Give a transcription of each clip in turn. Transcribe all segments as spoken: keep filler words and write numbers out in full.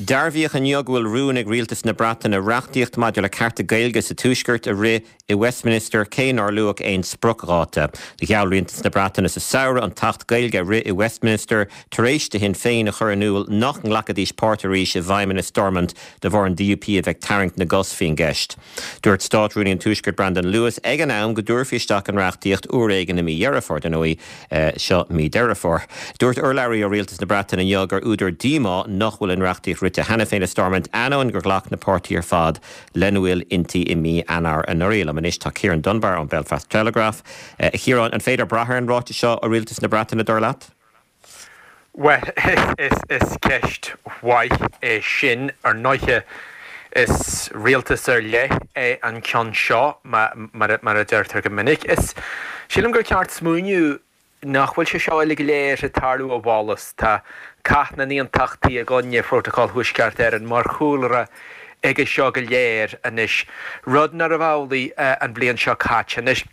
Dearbhaíodh inniu go bhfuil rún ag rialtas na Breataine reachtaíocht maidir le cearta Gaeilge sa Tuaisceart a rith i Westminster cé nár luadh aon spriocdháta. Gheall rialtas na Breataine sa samhradh an tAcht Gaeilge a rith i Westminster tar éis do Shinn Féin a chur in iúl nach nglacfaidís páirt arís i bhfeidhmeannas Stormont de bharr an DUP a bheith tarraingt na gcos faoin gceist. Dúirt Státrúnaí an Tuaiscirt Brandon Lewis ag an am go dtabharfaí isteach an reachtaíocht uair éigin i mí Dheireadh Fómhair dar ndóigh seo mí Deireadh Fómhair. Dúirt urlabhraí ó rialtas na Breataine inniu gur údar díomá nach bhfuil an reachtaíocht rite cheana féin i Stormont ainneoin gur ghlac na páirtithe ar fad lena bhfuil inti i mí Eanáir anuraidh. Liom anois tá Ciarán Dunbar ón Belfast Telegraph. Uh, Chiaráin an féidir brath ar an ráiteas seo ó rialtas na Breataine dar leat? Well is, is ceist mhaith é sin ar ndóigh is rialtas ar leith é an ceann seo mar, mar a deirtear go minic. Is sílim gur ceart smaoineamh nach bhfuil sé seo uilig go léir ag tarlú i bhfollas Tá cath na n-aontachtaithe i gcoinne Phrótacal Thuaisceart Éireann mar chúlra aige seo go léir anois rud nárbh amhlaidh an bhliain seo caite anois.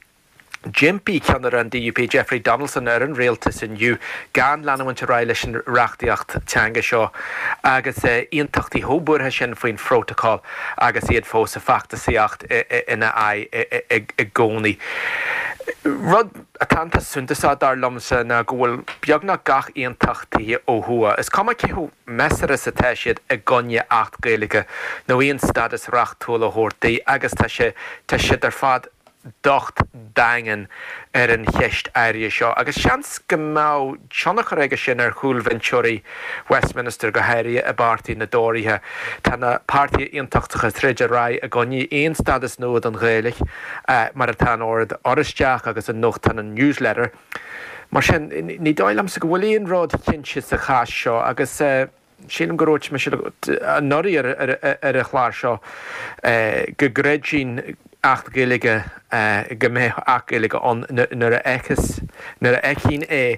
D'impigh ceannaire an DUP Jeffrey Donaldson ar an rialtas inniu gan leanúint ar aghaidh leis an reachtaíocht teanga seo agus aontachtaithe chomh buartha sin faoin phrótacal agus iad fós ag feachtasaíocht ina aghaidh i gcónaí. Rud atá an-suntasach dar liomsa ná go bhfuil beagnach gach aontachtaí ó thuaidh. Is cuma cé chomh measartha is atá siad i gcoinne Acht Gaeilge nó aon stádas reachtúil a thabhairt di agus tá sé tá siad ar fad docht daingean ar an cheist áirithe seo, agus seans go mbeadh tionchar aige sin ar chúlbhinseoirí Westminster go háirithe i bpáirtí na dTóraithe. Tá na páirtithe aontachtacha troid ar aghaidh i gcoinne aon stádas nua don Ghaeilge mar atá an Ord Oráisteach agus an nuachtán an Newsletter. Mar sin ní dóigh liomsa go bhfuil aon rud cinnte sa chás seo agus sílim go raibh mise anuraidh ar an chlár seo go gcreidfinn Acht Gaeilge go mbeadh Acht Gaeilge ann nuair a fheiceas nuair a fheicfinn é.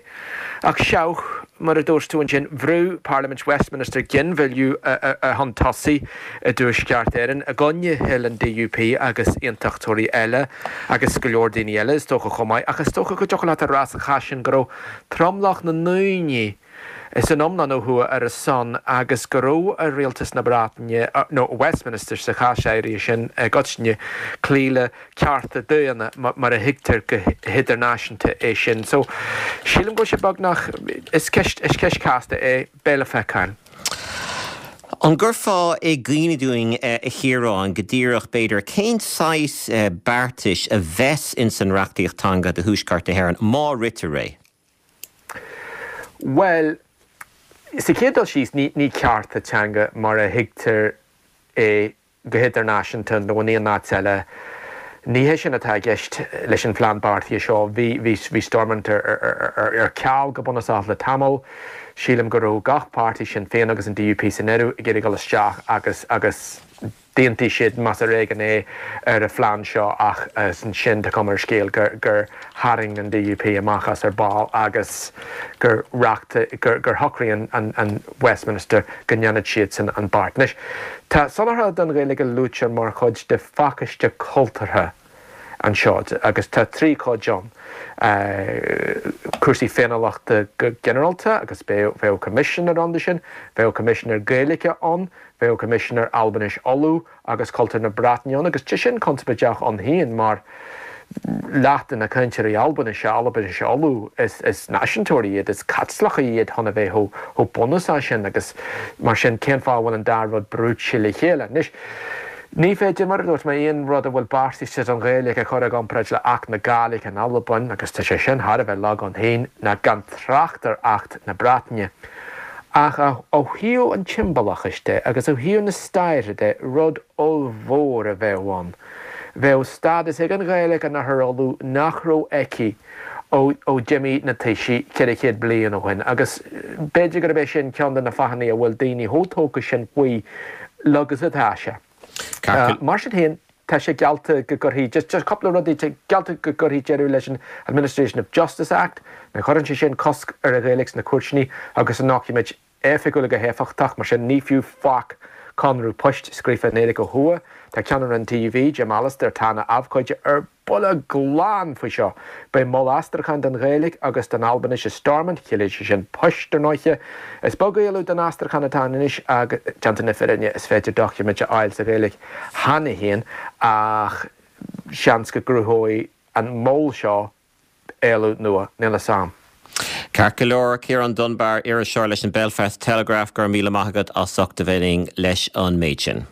Ach seoch mar a dúirt tú ansin bhrúigh Parlaimint Westminster ginmhilleadh a chun tosaigh i dTuaisceart Éireann i gcoinne thoil an DUP agus aontachtóirí eile agus go leor daoine eile is dócha chomh maith, ach is dócha go dtiocfadh leat a rá sa chás sin go raibh tromlach na ndaoine san iomlán ó thuaidh ar a son agus go raibh ar rialtas na Breataine nó Westminster sa chás áirithe sin i gcoitinne cloí le cearta daonna mar a thuigtear go hidirnáisiúnta é sin. So sílim go sé beagnach is ceist is ceist casta é beidh le feiceáil. An gcuirfeá i gcuimhne dúinn a Chiaráin go díreach b'fhéidir cén saghas beartais a bheas in san reachtaíocht teanga do Thuaisceart na hÉireann má ritear é. Well, sa chéad dul síos ní ní cearta teanga mar a thuigtear é go hidirnáisiúnta nó in aon áit eile. Ní hé sin atá i gceist leis an phlean beartaithe seo bhí bhí bhí Stormont ar, ar, ar, ar ceal go bunúsach le tamall. Sílim go raibh gach páirtí Sinn Féin agus an DUP san áireamh ag iarraidh dul isteach agus agus d'aontaigh siad más ar éigean é ar an phlean seo ach ansin tá cuma ar scéal gur gur tharraing an DUP amach as ar ball agus gur reachta gur gur shocraigh an, an, an Westminster go ndéanfadh siad sin an beart. Anois tá soláthar don Ghaeilge luaite mar chuid de phacáiste cultúrtha anseo agus tá trí chuid ann. Uh, cúrsaí féiniúlachta go ginearálta agus bheadh coimisinéir ann sin, bheadh coimisinéir Gaeilge ann, bheadh coimisinéir Albainis Uladh agus cultúr na Breataine ann agus tá sin conspóideach ann féin mar leath de na cainteoirí Albainise Albainis Uladh is, is náisiúntóirí iad is Caitliceach iad chun a bheith chomh bunúsach sin agus mar sin cén fáth bhfuil an dá rud brúite le chéile. Anois, Ní féidir mar a dúirt mé aon rud a bhfuil beartaithe don Ghaeilge a chur i gcomparáid le Acht na Gàidhlig in Albain agus tá sé sin thar a bheith lag ann féin ná gan trácht ar Acht na Breataine. Ach ó thaobh an tsiombalachais de agus ó thaobh na staire de rud ollmhór a bheadh ann. Bheadh stádas ag an Ghaeilge in Oirthear Uladh nach raibh aici ó ó d'imigh na taoisigh ceithre chéad bliain ó shin agus b'fhéidir gurb é sin ceann de na fáthanna a bhfuil daoine chomh tógtha sin faoi agus atá sé. Uh, mar sin féin tá sé geallta go gcuirfí just just cúpla rudaí geallta go gcuirfí deireadh leis an Administration of Justice Act, na chuireann sé sin cosc ar an Ghaeilge sna cúirteanna agus an doiciméid oifigiúla go héifeachtach mar sin ní fiú faic Conradh poist scríofa i nGaeilge ó thuaidh. Tá ceannaire an T U V, Jim Allister, atá ina abhcóide ar buile glan faoi seo. Beidh mol aistriúcháin don Ghaeilge agus don Albainis i Stormont, chiallaíonn sé sin poist ar ndóighe. Is beag éileamh don aistriúchán atá ann anois agus déanta na fírinne is féidir doiciméid a fháil sa Ghaeilge cheana féin ach seans go gcruthóidh an mol seo éileamh nua, níl a fhios a'm. Ceart go leor, Ciarán Dunbar, iriseoir leis an Belfast Telegraph, go raibh míle maith agat as ucht a bheith linn leis an méid sin.